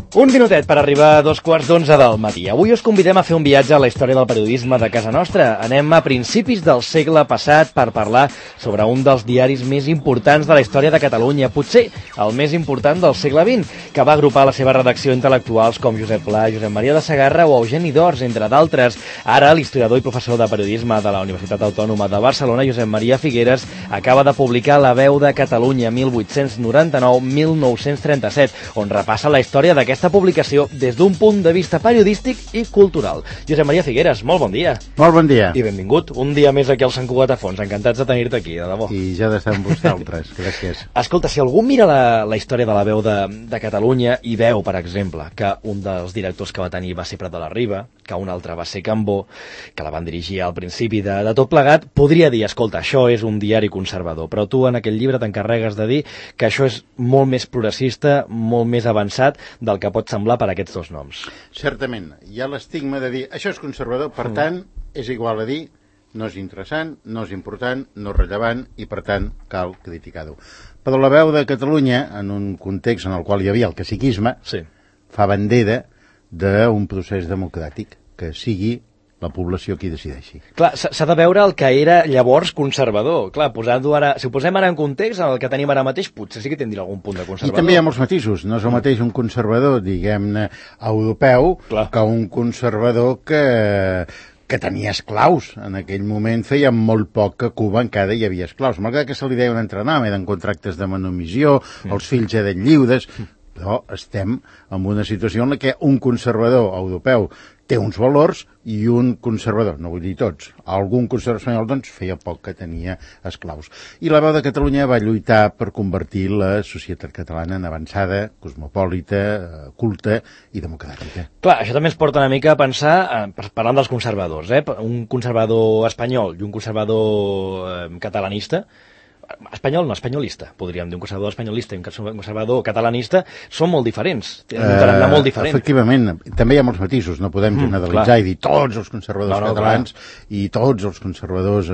Un minutet per arribar a 2:15 del matí. Avui us convidem a fer un viatge a la història del periodisme de casa nostra. Anem a principis del segle passat per parlar sobre un dels diaris més importants de la història de Catalunya, potser el més important del segle XX, que va agrupar a la seva redacció intel·lectuals com Josep Pla, Josep Maria de Sagarra o Eugeni d'Ors, entre d'altres. Ara, l'historiador i professor de periodisme de la Universitat Autònoma de Barcelona, Josep Maria Figueres, acaba de publicar La veu de Catalunya 1899-1937, on repassa la història d'aquesta publicació des d'un punt de vista periodístic i cultural. Josep Maria Figueres, molt bon dia. Molt bon dia. I benvingut. Un dia més aquí al Sant Cugat a Fons. Encantats de tenir-te aquí, de debò. I ja d'estar amb vosaltres. Gràcies. Escolta, si algú mira la història de La veu de Catalunya i veu, per exemple, que un dels directors que va tenir va ser Prat de la Riba, que un altre va ser Cambó, que la van dirigir al principi de tot plegat, podria dir, escolta, això és un diari conservador, però tu en aquell llibre t'encarregues de dir que això és molt més progressista, molt més avançat del que pot semblar per aquests dos noms. Certament, hi ha l'estigma de dir això és conservador, per tant, és igual a dir no és interessant, no és important, no és rellevant i, per tant, cal criticar-ho. Però La veu de Catalunya, en un context en el qual hi havia el caciquisme, sí, fa bandera d'un procés democràtic, que sigui la població qui decideixi. Clar, s'ha de veure el que era llavors conservador. Clar, posant-ho ara, si ho posem ara en context, el que tenim ara mateix, potser sí que tindria algun punt de conservador. I també hi ha molts matisos. No és el mateix un conservador, diguem-ne, europeu, que un conservador que tenia esclaus. En aquell moment feia molt poc que a Cuba encara hi havia esclaus. Malgrat que se li deien entrenar, eren contractes de manumissió, els fills eren lliures, però estem en una situació en què un conservador europeu té uns valors i un conservador, no vull dir tots, algun conservador espanyol doncs feia poc que tenia esclaus. I La veu de Catalunya va lluitar per convertir la societat catalana en avançada, cosmopolita, culta i democràtica. Clar, això també ens porta una mica a pensar, parlant dels conservadors, un conservador espanyol i un conservador catalanista, espanyol no, espanyolista, podríem dir, un conservador espanyolista i un conservador catalanista són molt diferents, tenen un tarannà molt diferent. Efectivament, també hi ha molts matisos, no podem generalitzar i dir tots els conservadors catalans i tots els conservadors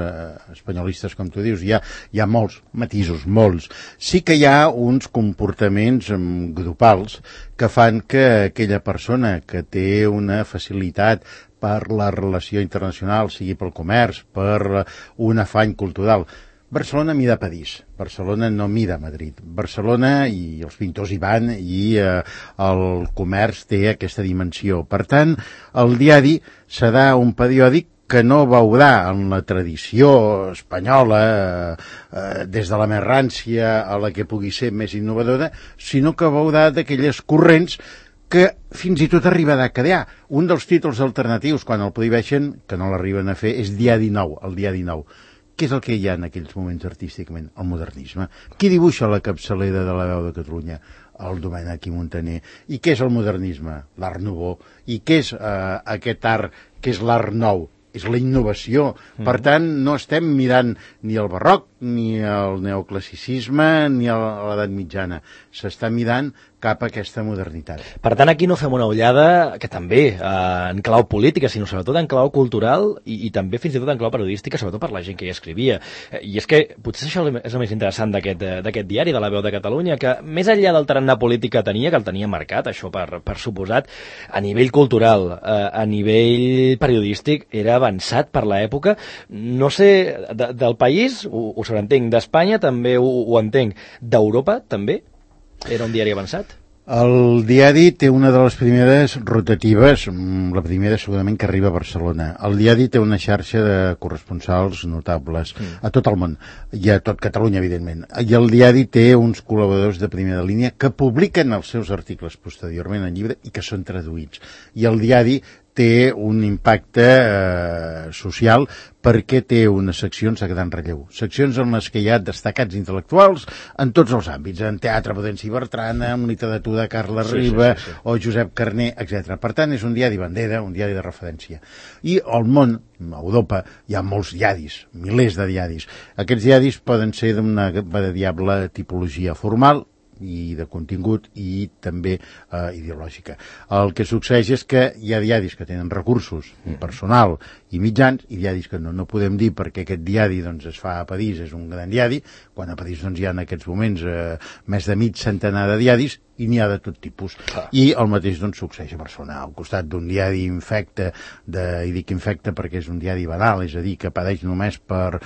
espanyolistes, com tu dius, hi ha molts matisos, molts. Sí que hi ha uns comportaments grupals que fan que aquella persona que té una facilitat per la relació internacional, sigui pel comerç, per un afany cultural. Barcelona mira París, Barcelona no mira Madrid. Barcelona, i els pintors hi van, i el comerç té aquesta dimensió. Per tant, el diari serà un periòdic que no veurà en la tradició espanyola, des de la més rància a la que pugui ser més innovadora, sinó que veurà d'aquelles corrents que fins i tot arribarà a crear. Un dels títols alternatius, quan el prohibeixen, que no l'arriben a fer, és Diari Nou, el Diari Nou. Què és el que hi ha en aquells moments artísticament? El modernisme. Qui dibuixa la capçalera de La veu de Catalunya? El Domènech i Montaner. I què és el modernisme? L'art nouveau. I què és aquest art que és l'art nou? És la innovació. Per tant, no estem mirant ni el barroc, ni el neoclassicisme, ni l'edat mitjana. S'està mirant cap a aquesta modernitat. Per tant, aquí no fem una ullada, que també en clau política, sinó sobretot en clau cultural i també fins i tot en clau periodística, sobretot per la gent que hi escrivia. I és que potser això és el més interessant d'aquest diari, de La veu de Catalunya, que més enllà del tarannà polític que tenia, que el tenia marcat, això per suposat, a nivell cultural, a nivell periodístic, era avançat per l'època. No sé, del país, ho sobreentenc, d'Espanya també ho entenc, d'Europa també? Era un diari avançat? El diari té una de les primeres rotatives, la primera segurament que arriba a Barcelona. El diari té una xarxa de corresponsals notables a tot el món, i a tot Catalunya, evidentment. I el diari té uns col·laboradors de primera línia que publiquen els seus articles posteriorment en llibre i que són traduïts. I el diari té un impacte social perquè té unes seccions de gran relleu. Seccions en les que hi ha destacats intel·lectuals en tots els àmbits, en teatre Prudenci Bertrana, en literatura Carles Riba o Josep Carner, etc. Per tant, és un diari bandera, un diari de referència. I al món, a Europa, hi ha molts diaris, milers de diaris. Aquests diaris poden ser d'una variable tipologia formal, i de contingut i també ideològica. El que succeeix és que hi ha diaris que tenen recursos personal i mitjans i diaris que no podem dir perquè aquest diari doncs, es fa a París, és un gran diari, quan a París doncs, hi ha en aquests moments més de mig centenar de diaris i n'hi ha de tot tipus. I el mateix doncs succeeix a Barcelona, al costat d'un diari infecte, i dic infecte perquè és un diari banal, és a dir, que padeix només per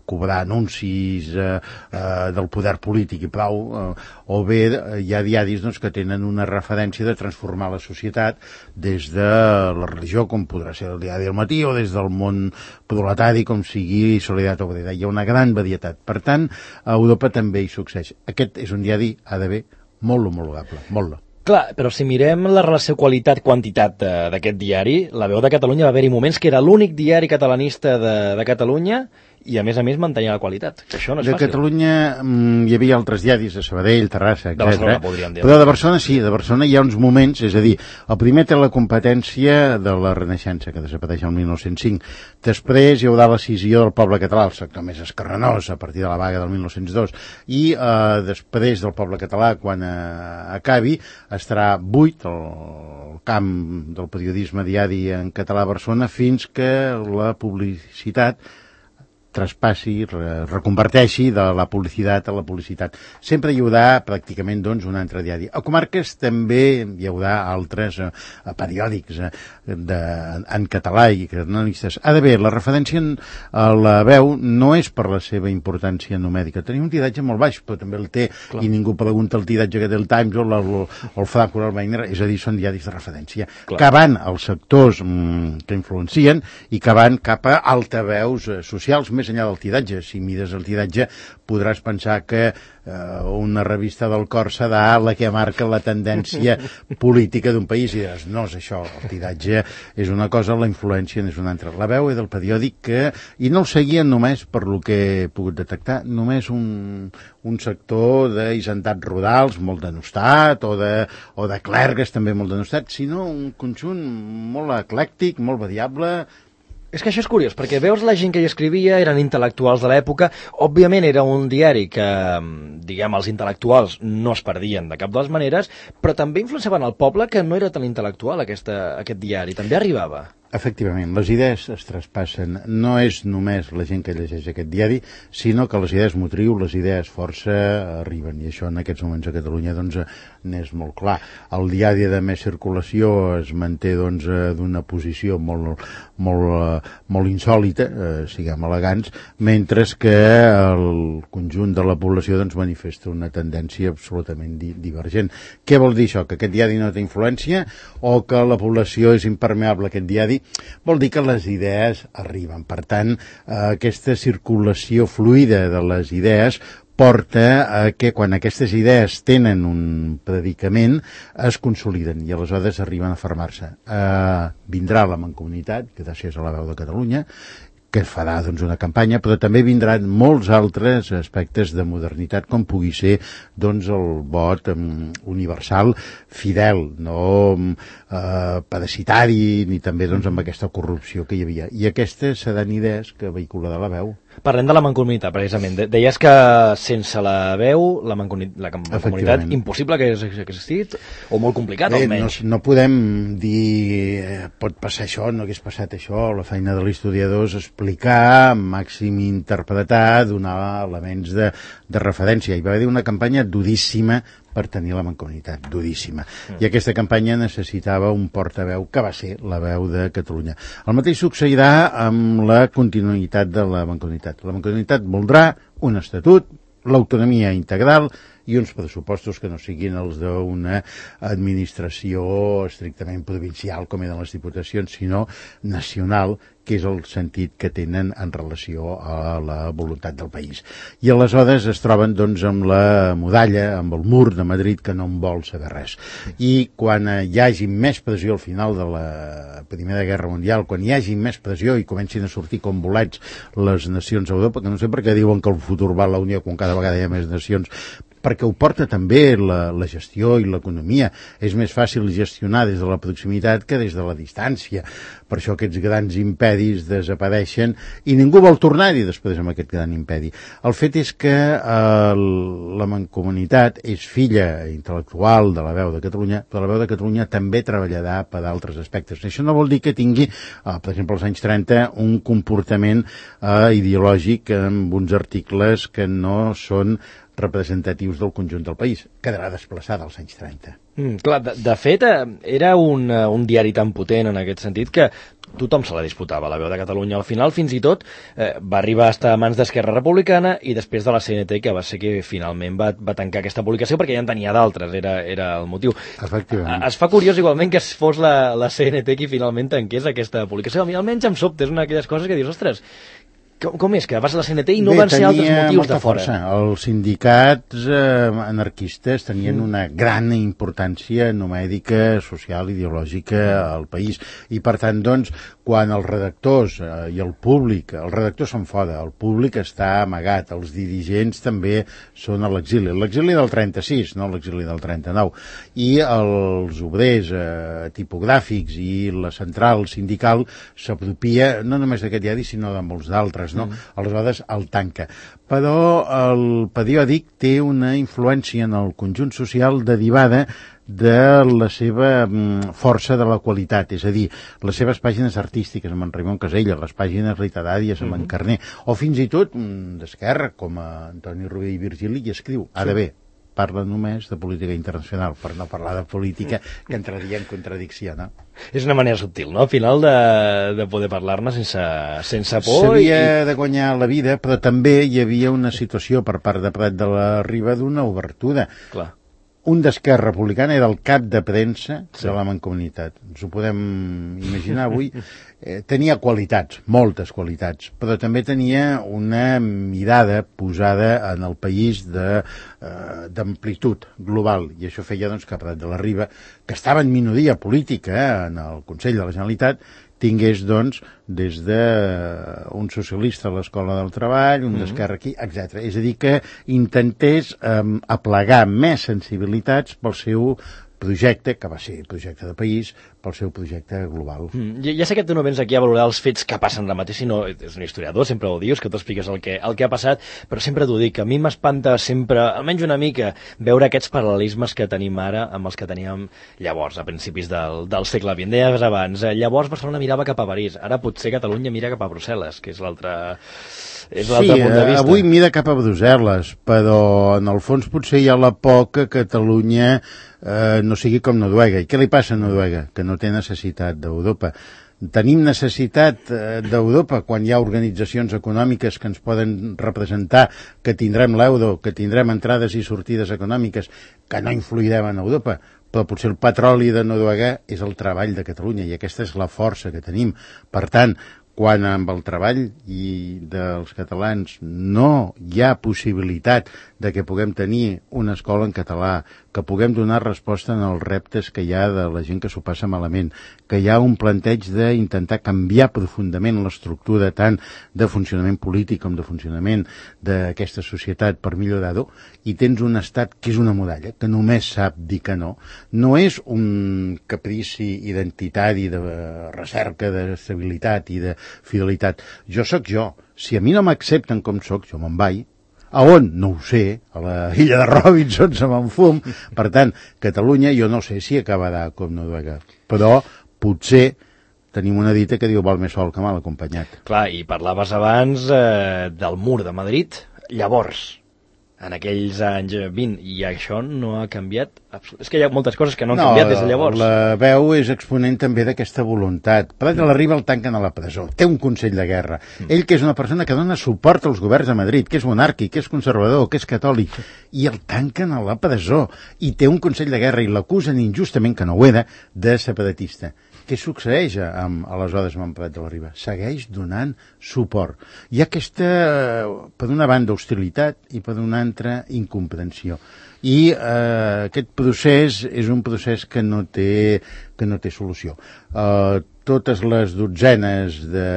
cobrar anuncis del poder polític i prou, o bé hi ha diaris doncs, que tenen una referència de transformar la societat des de la religió, com podrà ser el diari del Matí, o des del món proletari, com sigui Solidaritat Obrera. Hi ha una gran varietat. Per tant, a Europa també hi succeeix. Aquest és un diari, ha d'haver, molt homologable, molt. Clar, però si mirem la relació qualitat-quantitat d'aquest diari, La Veu de Catalunya va haver-hi moments que era l'únic diari catalanista de Catalunya i a més mantenia la qualitat. Això no és fàcil. De Catalunya hi havia altres diaris, de Sabadell, Terrassa, etc. De Barcelona, podríem dir. Però de Barcelona sí, de Barcelona hi ha uns moments, és a dir, el primer té la competència de la Renaixença, que desapareix el 1905. Després hi haurà la cisió del poble català, el sector més escarranós, a partir de la vaga del 1902. I després del poble català, quan acabi, estarà buit el camp del periodisme diari en català a Barcelona fins que la publicitat traspassi, reconverteixi de la publicitat a la publicitat. Sempre hi haurà pràcticament doncs, un altre diari. A comarques també hi haurà altres periòdics en català i catalanistes. Ha d'haver, la referència a La Veu no és per la seva importància numèrica. Tenim un tiratge molt baix, però també el té, clar. I ningú pregunta el tiratge que té el Times o el Franco o el Weiner, és a dir, són diaris de referència, clar. Que van als sectors que influencien i que van cap a altaveus socials, més enllà del tiratge. Si mires el tiratge podràs pensar que una revista del cor serà la que marca la tendència política d'un país i diràs, no és això, el tiratge és una cosa, la influència és una altra. La Veu és del periòdic que, i no el seguien només per lo que he pogut detectar, només un sector d'hisentats rurals molt denostat o de clergues també molt denostat, sinó un conjunt molt eclèctic, molt variable. És que això és curiós, perquè veus la gent que hi escrivia, eren intel·lectuals de l'època, òbviament era un diari que, diguem, els intel·lectuals no es perdien de cap de les maneres, però també influenciaven el poble que no era tan intel·lectual aquest diari, també arribava. Efectivament, les idees es traspassen. No és només la gent que llegeix aquest diari, sinó que les idees motriu, les idees força arriben, i això en aquests moments a Catalunya doncs n'és molt clar. El diari de més circulació es manté doncs d'una posició molt insòlita, siguem elegants, mentre que el conjunt de la població doncs manifesta una tendència absolutament divergent. Què vol dir això? Que aquest diari no té influència o que la població és impermeable a aquest diari? Vol dir que les idees arriben. Per tant, aquesta circulació fluida de les idees porta a que quan aquestes idees tenen un predicament es consoliden i aleshores arriben a fermar-se. Vindrà la Mancomunitat, gràcies a La Veu de Catalunya, que farà doncs, una campanya, però també vindran molts altres aspectes de modernitat, com pugui ser doncs, el vot universal fidel, no parasitari, ni també doncs, amb aquesta corrupció que hi havia. I aquestes seran idees que vehicularà La Veu. Parlem de la Mancomunitat, precisament. Deies que sense La Veu, la Mancomunitat, impossible que hagués existit, o molt complicat, almenys. No podem dir pot passar això, no hagués passat això. La feina de l'historiador és explicar, màxim interpretar, donar elements de referència. Hi va haver una campanya duríssima per tenir la Mancomunitat, duríssima. I aquesta campanya necessitava un portaveu que va ser La Veu de Catalunya. El mateix succeirà amb la continuïtat de la Mancomunitat. La Mancomunitat voldrà un estatut, l'autonomia integral i uns pressupostos que no siguin els d'una administració estrictament provincial, com eren les diputacions, sinó nacional, que és el sentit que tenen en relació a la voluntat del país. I aleshores es troben doncs, amb la muralla, amb el mur de Madrid, que no en vol saber res. I quan hi hagi més pressió al final de la Primera Guerra Mundial, quan hi hagi més pressió i comencin a sortir com bolets les nacions a Europa, que no sé per què diuen que el futur va a la Unió quan cada vegada hi ha més nacions, perquè ho porta també la gestió i l'economia. És més fàcil gestionar des de la proximitat que des de la distància. Per això aquests grans impedis desapareixen i ningú vol tornar-hi després amb aquest gran impedi. El fet és que la Mancomunitat és filla intel·lectual de La Veu de Catalunya, però La Veu de Catalunya també treballarà per altres aspectes. Això no vol dir que tingui, per exemple, als anys 30, un comportament ideològic amb uns articles que no són representatius del conjunt del país. Quedarà desplaçada als anys 30. Clar, de fet, era un diari tan potent en aquest sentit que tothom se la disputava, la Veu de Catalunya. Al final, fins i tot, va arribar a estar a mans d'Esquerra Republicana i després de la CNT, que va ser que finalment va tancar aquesta publicació perquè ja en tenia d'altres, era el motiu. Efectivament. Es fa curiós igualment que fos la CNT qui finalment tanqués aquesta publicació. A mi almenys em sobta, és una d'aquelles coses que dius, ostres, com és que vas a la CNT i no van ser altres motius de fora? Força. Els sindicats anarquistes tenien una gran importància numèdica, social, ideològica al país. I per tant, doncs, quan els redactors i el públic, els redactors són fora, el públic està amagat, els dirigents també són a l'exili. L'exili del 36, no l'exili del 39. I els obrers tipogràfics i la central sindical s'apropia no només d'aquest diari, sinó de molts d'altres. No? Aleshores el tanca. Però el periòdic té una influència en el conjunt social derivada de la seva força de la qualitat, és a dir, les seves pàgines artístiques amb en Raimon Casella, les pàgines literàries amb en Carner, o fins i tot d'Esquerra, com a Antoni Rovira i Virgili, i escriu. Ara bé, parla només de política internacional, per no parlar de política, que entraria en contradicció, no? És una manera subtil, no?, al final de poder parlar-ne sense por. S'havia de guanyar la vida, però també hi havia una situació per part de Prat de la Riba d'una obertura. Clar. Un d'Esquerra Republicana era el cap de premsa de la Mancomunitat. Ens ho podem imaginar avui. Tenia qualitats, moltes qualitats, però també tenia una mirada posada en el país d'amplitud global. I això feia doncs, que Prat de la Riba, que estava en minoria política en el Consell de la Generalitat, tingués, doncs, des d'un socialista a l'Escola del Treball, un d'Esquerra aquí, etc. És a dir, que intentés aplegar més sensibilitats pel seu projecte, que va ser projecte de país, pel seu projecte global. Ja sé que tu no vens aquí a valorar els fets que passen ara mateix, sinó és un historiador, sempre ho dius, que tu expliques el que ha passat, però sempre t'ho dic, a mi m'espanta sempre, almenys una mica, veure aquests paral·lelismes que tenim ara amb els que teníem llavors, a principis del segle XX. Deies abans, llavors Barcelona mirava cap a París, ara potser Catalunya mira cap a Brussel·les, que és l'altre punt de vista. Avui mira cap a Brussel·les, però en el fons potser hi ha la por que Catalunya no sigui com Noruega. I què li passa a Noruega? Que no té necessitat d'Europa. Tenim necessitat d'Europa quan hi ha organitzacions econòmiques que ens poden representar, que tindrem l'euro, que tindrem entrades i sortides econòmiques, que no influirem en Europa, però potser el petroli de Noruega és el treball de Catalunya i aquesta és la força que tenim. Per tant, quan amb el treball dels catalans no hi ha possibilitat de que puguem tenir una escola en català, que puguem donar resposta en els reptes que hi ha de la gent que s'ho passa malament, que hi ha un planteig d'intentar canviar profundament l'estructura tant de funcionament polític com de funcionament d'aquesta societat per millorar-ho, i tens un estat que és una muralla, que només sap dir que no. No és un caprici identitari de recerca d'estabilitat i de fidelitat. Jo sóc jo. Si a mi no m'accepten com sóc, jo me'n vaig. A on? No ho sé. A la illa de Robinson se me'n fum. Per tant, Catalunya jo no sé si acabarà com Noruega, però potser tenim una dita que diu val més sol que mal acompanyat. Clar, i parlaves abans del mur de Madrid. Llavors, en aquells anys 20, i això no ha canviat. És que hi ha moltes coses que no han canviat des de llavors. La Veu és exponent també d'aquesta voluntat. Prat de la Riba el tanquen a la presó, té un Consell de Guerra. Ell, que és una persona que dona suport als governs de Madrid, que és monàrquic, que és conservador, que és catòlic, i el tanquen a la presó, i té un Consell de Guerra, i l'acusen injustament, que no ho era, de separatista. Què succeeix aleshores amb Prat de la Riba? Segueix donant suport. Hi ha aquesta, per una banda, hostilitat i per una altra, incomprensió. I aquest procés és un procés que no té solució. Totes les dotzenes de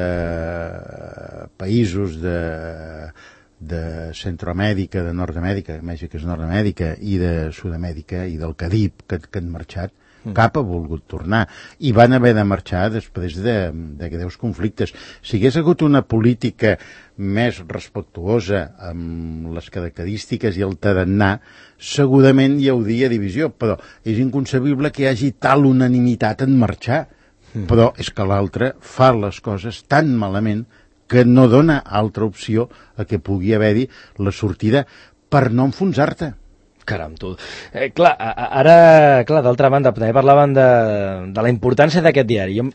països de Centroamèrica, de Nord-Amèrica, Mèxic és Nord-Amèrica, i de Sud-Amèrica i del Carib que han marxat, cap ha volgut tornar, i van haver de marxar després de greus conflictes. Si hagués hagut una política més respectuosa amb les característiques i el tarannà, segurament hi hauria divisió, però és inconcebible que hi hagi tal unanimitat en marxar. Però és que l'altre fa les coses tan malament que no dona altra opció a que pugui haver-hi la sortida per no enfonsar-te. Caram, tu. Ara, d'altra banda, també parlaven de la importància d'aquest diari. Jo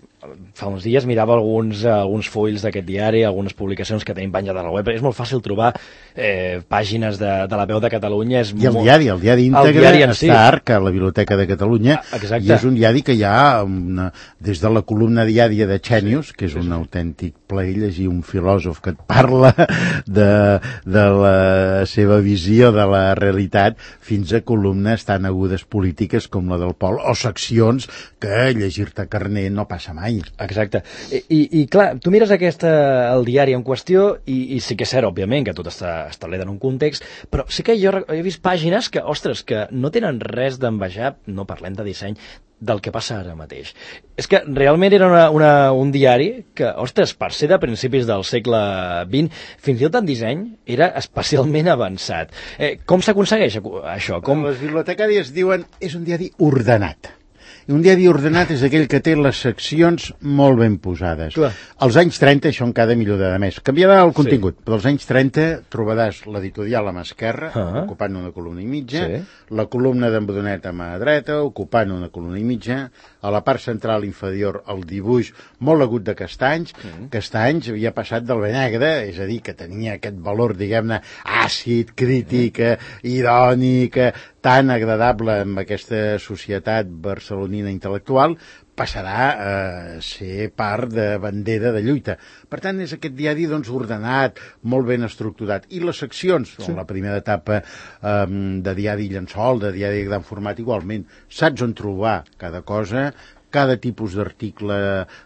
fa uns dies mirava alguns fulls d'aquest diari, algunes publicacions que tenim penjades a la web. És molt fàcil trobar pàgines de la Veu de Catalunya. I el diari íntegre està a Arca, a la Biblioteca de Catalunya, i és un diari que hi ha des de la columna diària de Xènius, que és un autèntic plaer llegir un filòsof que et parla de la seva visió de la realitat, fins a columnes tan agudes polítiques com la del Pol, o seccions que llegir-te Carner no passa mai. Exacte. I clar, tu mires el diari en qüestió i sí que és cert, òbviament, que tot està establert en un context, però sí que jo he vist pàgines que, ostres, que no tenen res d'envejar, no parlem de disseny, del que passa ara mateix. És que realment era un diari que, ostres, per ser de principis del segle XX, fins i tot en disseny, era especialment avançat. Com s'aconsegueix això? Les bibliotecàries diuen és un diari ordenat. I un diari ordenat és aquell que té les seccions molt ben posades. Clar. Als anys 30 això encara millorarà més. Canviarà el contingut, però als anys 30 trobaràs l'editorial a mà esquerra, ocupant una columna i mitja, la columna d'en Brunet a mà dreta, ocupant una columna i mitja, a la part central inferior el dibuix molt agut de Castanys. Castanys havia passat del bé negre, és a dir, que tenia aquest valor, diguem-ne, àcid, crític, irònic, tan agradable amb aquesta societat barcelonina intel·lectual, passarà a ser part de bandera de lluita. Per tant, és aquest diari ordenat, molt ben estructurat. I les seccions, la primera etapa de diari llençol, de diari de gran format, igualment, saps on trobar cada cosa, cada tipus d'article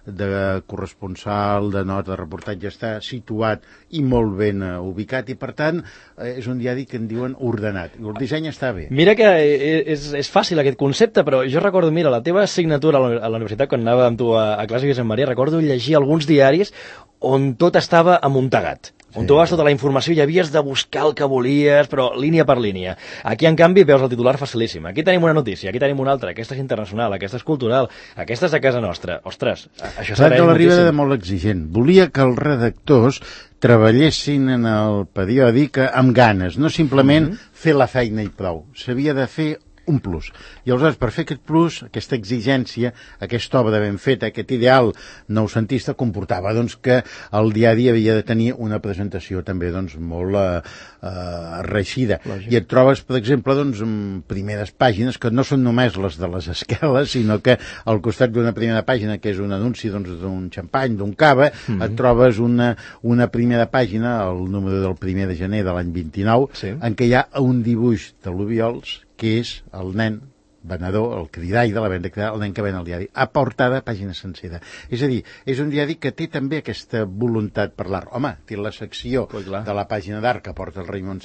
de corresponsal, de nota, de reportatge està situat i molt ben ubicat, i per tant és un diari que en diuen ordenat. El disseny està bé. Mira que és fàcil aquest concepte, però jo recordo, mira, la teva assignatura a la universitat, quan anava amb tu a classe de Josep Maria, recordo llegir alguns diaris on tot estava amuntegat. On tu vas tota la informació i havies de buscar el que volies, però línia per línia. Aquí, en canvi, veus el titular facilíssim. Aquí tenim una notícia, aquí tenim una altra, aquesta és internacional, aquesta és cultural, aquesta és de casa nostra. Ostres, això s'agraeix moltíssim. La Riba era molt exigent. Volia que els redactors treballessin en el periòdic amb ganes, no simplement fer la feina i prou. S'havia de fer un plus. I aleshores, per fer aquest plus, aquesta exigència, aquesta obra ben feta, aquest ideal noucentista, comportava que el diari havia de tenir una presentació també molt reeixida. I et trobes, per exemple, primeres pàgines que no són només les de les esqueles, sinó que al costat d'una primera pàgina, que és un anunci d'un xampany, d'un cava, et trobes una primera pàgina, el número del 1 de gener de l'any 29, en què hi ha un dibuix de l'Obiols, que és el nen venedor, el cridall de la venda, el nen que ven el diari, a portada, pàgina sencera. És a dir, és un diari que té també aquesta voluntat per l'art. Home, té la secció de la pàgina d'art que porta el Raimon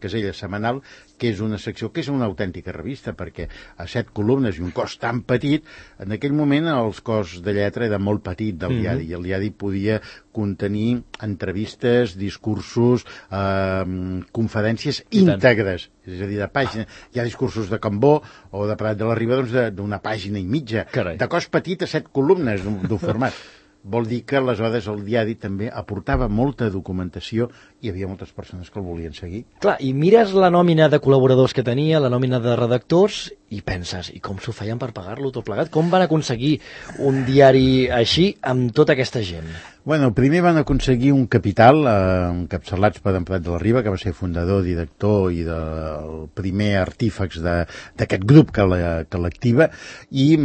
Casellas setmanal, que és una secció que és una autèntica revista, perquè a 7 columnes i un cos tan petit, en aquell moment el cos de lletra era molt petit del diari, i el diari podia contenir entrevistes, discursos, conferències íntegres, és a dir, de pàgina. Hi ha discursos de Cambó o de Prat de la Riba d'una pàgina i mitja, de cos petit a 7 columnes d'un format. Vol dir que aleshores el diari també aportava molta documentació i hi havia moltes persones que el volien seguir. Clar, i mires la nòmina de col·laboradors que tenia, la nòmina de redactors, i penses, i com s'ho feien per pagar-lo tot plegat? Com van aconseguir un diari així amb tota aquesta gent? Bueno, primer van aconseguir un capital encapçalats per en Prat de la Riba, que va ser fundador, director i del primer artífex d'aquest grup que l'activa, i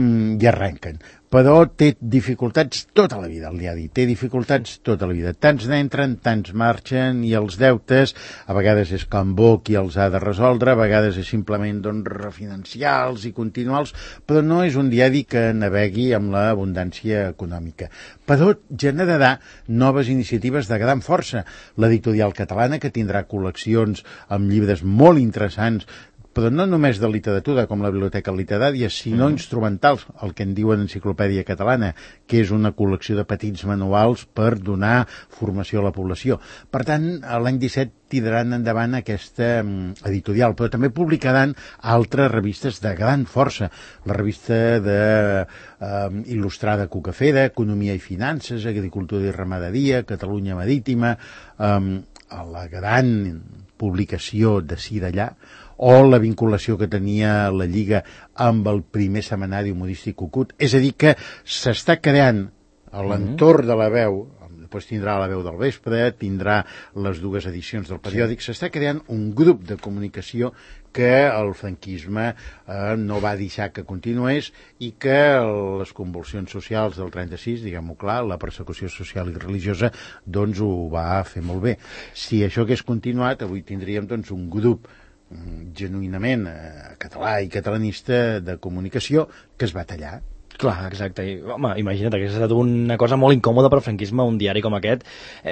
arrenquen. Però té dificultats tota la vida, el diari. Té dificultats tota la vida. Tants n'entren, tants marxen, i els deutes, a vegades és Cambó qui els ha de resoldre, a vegades és simplement refinancials i continuals, però no és un diari que navegui amb l'abundància econòmica. Però generarà noves iniciatives de gran força. L'editorial catalana, que tindrà col·leccions amb llibres molt interessants, però no només de literatura, com la Biblioteca Literària, sinó instrumentals, el que en diuen Enciclopèdia Catalana, que és una col·lecció de petits manuals per donar formació a la població. Per tant, l'any 17 tiraran endavant aquesta editorial, però també publicaran altres revistes de gran força. La revista il·lustrada Cucafera, Economia i Finances, Agricultura i Ramaderia, Catalunya Marítima, la gran publicació d'ací d'allà, o la vinculació que tenia la Lliga amb el primer setmanari humorístic Cucut. És a dir, que s'està creant a l'entorn de La Veu, després tindrà La Veu del Vespre, tindrà les 2 edicions del periòdic, s'està creant un grup de comunicació que el franquisme no va deixar que continués i que les convulsions socials del 36, diguem-ho clar, la persecució social i religiosa, doncs ho va fer molt bé. Si això hagués continuat, avui tindríem doncs un grup genuïnament català i catalanista de comunicació que es va tallar. Clar, exacte. I, home, imagina't, hauria estat una cosa molt incòmoda per franquisme, un diari com aquest,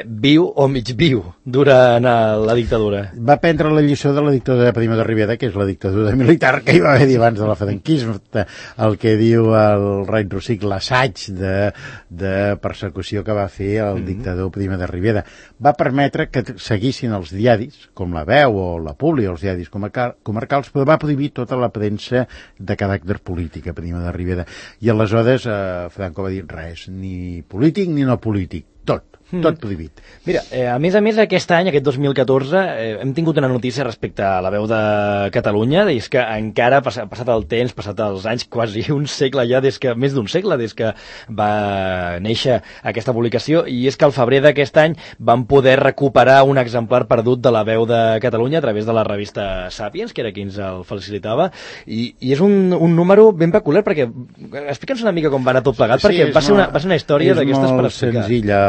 viu o mig viu durant la dictadura. Va prendre la lliçó de la dictadura de Primo de Rivera, que és la dictadura militar que hi va haver abans de la franquisme, el que diu el Raig Rosic, l'assaig de persecució que va fer el dictador Primo de Rivera. Va permetre que seguissin els diaris, com La Veu o La Publi, els diaris comarcals, però va prohibir tota la premsa de caràcter polític a Primo de Rivera. I aleshores Franco va dir res, ni polític ni no polític, tot prohibit. Mira, a més, aquest any, aquest 2014, hem tingut una notícia respecte a La Veu de Catalunya, és que encara, passat el temps, passat els anys, quasi un segle ja, més d'un segle, des que va néixer aquesta publicació, i és que al febrer d'aquest any van poder recuperar un exemplar perdut de La Veu de Catalunya a través de la revista Sapiens, que era qui ens el facilitava, i és un número ben peculiar, perquè explica'ns una mica com va anar tot plegat, perquè va ser una història d'aquestes per explicar. És molt senzilla.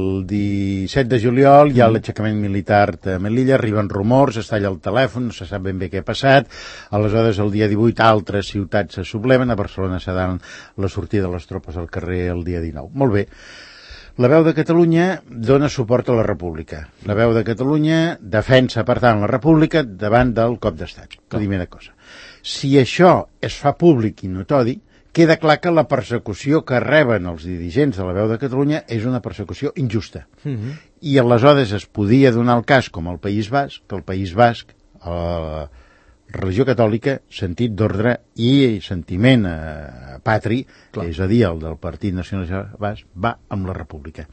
El 17 de juliol hi ha l'aixecament militar a Melilla, arriben rumors, es talla el telèfon, no se sap ben bé què ha passat, aleshores el dia 18 altres ciutats se subleven, a Barcelona se dan la sortida de les tropes al carrer el dia 19. Molt bé. La Veu de Catalunya dona suport a la República. La Veu de Catalunya defensa, per tant, la República davant del cop d'estat. Primera cosa. Si això es fa públic i notori, queda clar que la persecució que reben els dirigents de La Veu de Catalunya és una persecució injusta. I aleshores es podia donar el cas, com al País Basc, que el País Basc, la religió catòlica, sentit d'ordre i sentiment patri, és a dir, el del Partit Nacionalista Basc, va amb la República.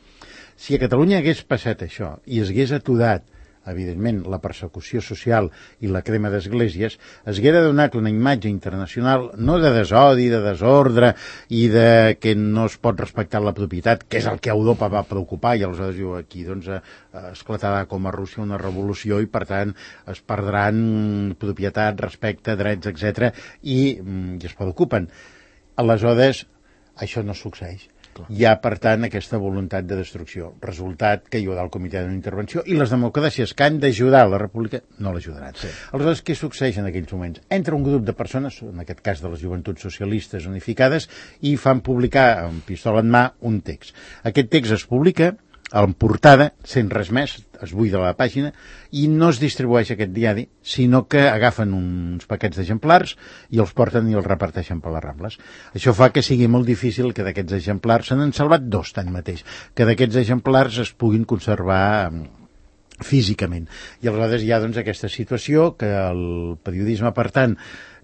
Si a Catalunya hagués passat això i es hagués aturat evidentment, la persecució social i la crema d'esglésies, es haguera donat una imatge internacional no de desodi, de desordre i de que no es pot respectar la propietat, que és el que a Europa va preocupar, i aleshores diu aquí doncs esclatarà com a Rússia una revolució i per tant es perdran propietat, respecte, drets, etc. i es preocupen. Aleshores, això no succeeix. Hi ha, per tant, aquesta voluntat de destrucció. Resultat que hi haurà el comitè d'intervenció i les democràcies que han d'ajudar la república no l'ajudaran. Sí. Aleshores, què succeeix en aquells moments? Entra un grup de persones, en aquest cas de les joventuts socialistes unificades, i fan publicar amb pistola en mà un text. Aquest text es publica en portada, sense res més, es buida la pàgina, i no es distribueix aquest diari, sinó que agafen uns paquets d'exemplars i els porten i els reparteixen per les Rambles. Això fa que sigui molt difícil que d'aquests exemplars, se n'han salvat 2 tanmateix, que d'aquests exemplars es puguin conservar físicament. I aleshores hi ha doncs aquesta situació que el periodisme, per tant,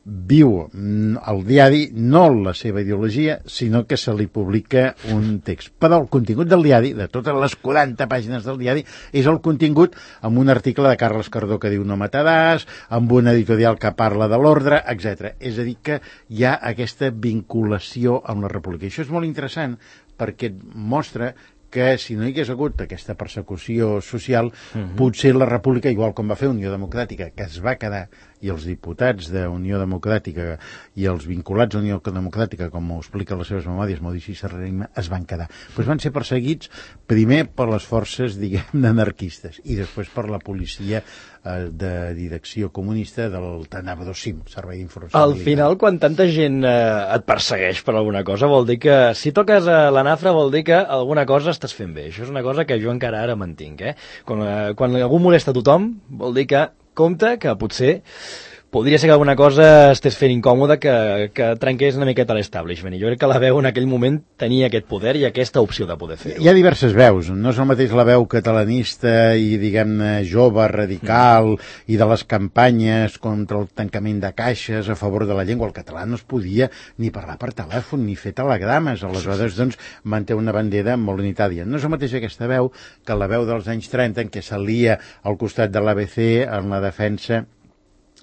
viu el diari, no la seva ideologia, sinó que se li publica un text. Però el contingut del diari, de totes les 40 pàgines del diari, és el contingut amb un article de Carles Cardó que diu no mataràs, amb una editorial que parla de l'ordre, etc. És a dir, que hi ha aquesta vinculació amb la república. I això és molt interessant perquè mostra que si no hi hagués hagut aquesta persecució social, potser la república, igual com va fer Unió Democràtica, que es va quedar, i els diputats d'Unió Democràtica i els vinculats a Unió Democràtica, com ho explica les seves memòries, Maurici Serrahima, es van quedar. Pues van ser perseguits primer per les forces, diguem, anarquistes i després per la policia de direcció comunista del Tenebrosim, Servei d'Informació. Al final, quan tanta gent et persegueix per alguna cosa, vol dir que si toques a la nafra vol dir que alguna cosa estàs fent bé. Això és una cosa que jo encara ara mantinc. Quan algú molesta a tothom, vol dir que compte que potser podria ser que alguna cosa estés fent incòmoda que trenqués una miqueta l'establishment. I jo crec que la veu en aquell moment tenia aquest poder i aquesta opció de poder fer-ho. Hi ha diverses veus. No és el mateix la veu catalanista i, diguem-ne, jove, radical, i de les campanyes contra el tancament de caixes a favor de la llengua. El català no es podia ni parlar per telèfon ni fer telegrames. Aleshores, doncs, manté una bandera molt unitària. No és el mateix aquesta veu que la veu dels anys 30 en què s'alia al costat de l'ABC en la defensa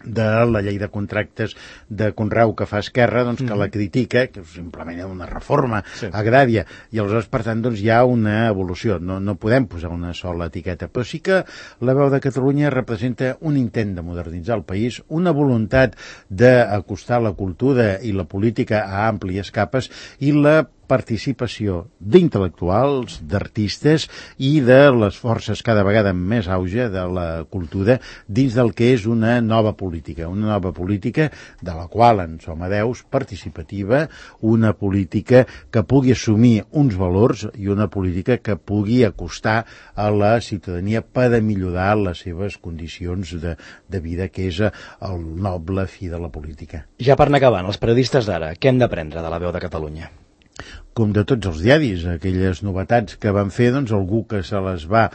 de la llei de contractes de conreu que fa Esquerra, doncs, que la critica, que simplement és una reforma agrària, i aleshores, per tant, doncs, hi ha una evolució. No podem posar una sola etiqueta, però sí que la veu de Catalunya representa un intent de modernitzar el país, una voluntat d'acostar la cultura i la política a àmplies capes i la participació d'intel·lectuals, d'artistes i de les forces cada vegada amb més auge de la cultura dins del que és una nova política de la qual en som hereus, participativa, una política que pugui assumir uns valors i una política que pugui acostar a la ciutadania per a millorar les seves condicions de vida, que és el noble fi de la política. Ja per anar acabant, els periodistes d'ara, què hem d'aprendre de la veu de Catalunya? Com de tots els diaris, aquelles novetats que van fer, doncs algú que se les va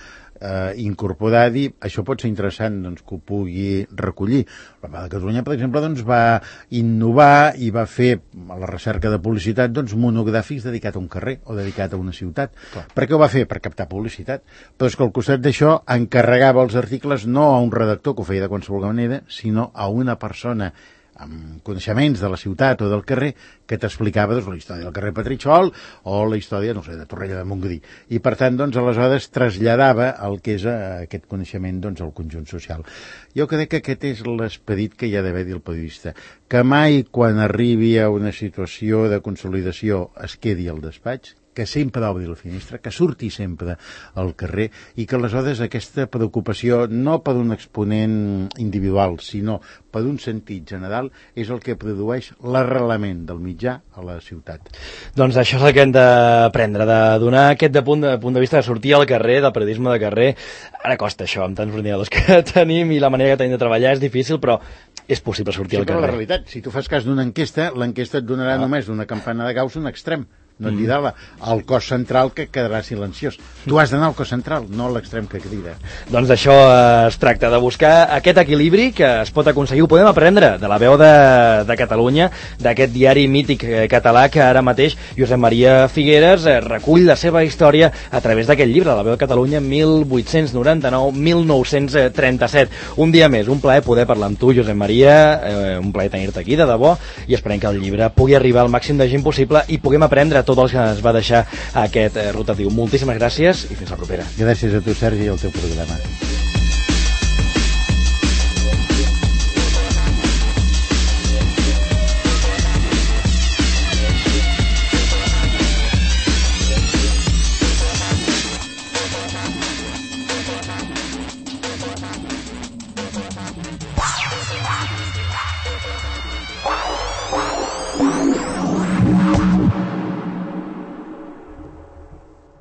incorporar a dir, això pot ser interessant, doncs, que ho pugui recollir. La Veu de Catalunya, per exemple, doncs, va innovar i va fer a la recerca de publicitat, doncs, monogràfics dedicat a un carrer o dedicat a una ciutat. Clar. Per què ho va fer? Per captar publicitat. Però és que al costat d'això encarregava els articles no a un redactor que ho feia de qualsevol manera, sinó a una persona amb coneixements de la ciutat o del carrer que t'explicava, doncs, la història del carrer Petritxol o la història, no sé, de Torrella de Montgrí. I, per tant, doncs, aleshores traslladava el que és aquest coneixement, doncs, al conjunt social. Jo crec que aquest és l'esperit que hi ha d'haver-hi el periodista, que mai, quan arribi a una situació de consolidació, es quedi al despatx, que sempre obri la finestra, que surti sempre al carrer i que aleshores aquesta preocupació, no per un exponent individual, sinó per un sentit general, és el que produeix l'arrelament del mitjà a la ciutat. Doncs això és el que hem d'aprendre, de donar aquest punt de vista de sortir al carrer, del periodisme de carrer. Ara costa això, amb tants ordinadors que tenim i la manera que tenim de treballar és difícil, però és possible sortir al carrer. La realitat, si tu fas cas d'una enquesta, l'enquesta et donarà només d'una campana de Gauss un extrem. No et dirà el cos central que quedarà silenciós. Tu has d'anar al cos central, no a l'extrem que crida. Doncs d'això es tracta, de buscar aquest equilibri que es pot aconseguir. Ho podem aprendre de la Veu de Catalunya, d'aquest diari mític català que ara mateix Josep Maria Figueres recull la seva història a través d'aquest llibre, La Veu de Catalunya 1899-1937. Un dia més, un plaer poder parlar amb tu, Josep Maria, un plaer tenir-te aquí, de debò, i esperem que el llibre pugui arribar al màxim de gent possible i puguem aprendre tot el que ens va deixar aquest rotatiu. Moltíssimes gràcies i fins la propera. Gràcies a tu, Sergi, i al teu programa.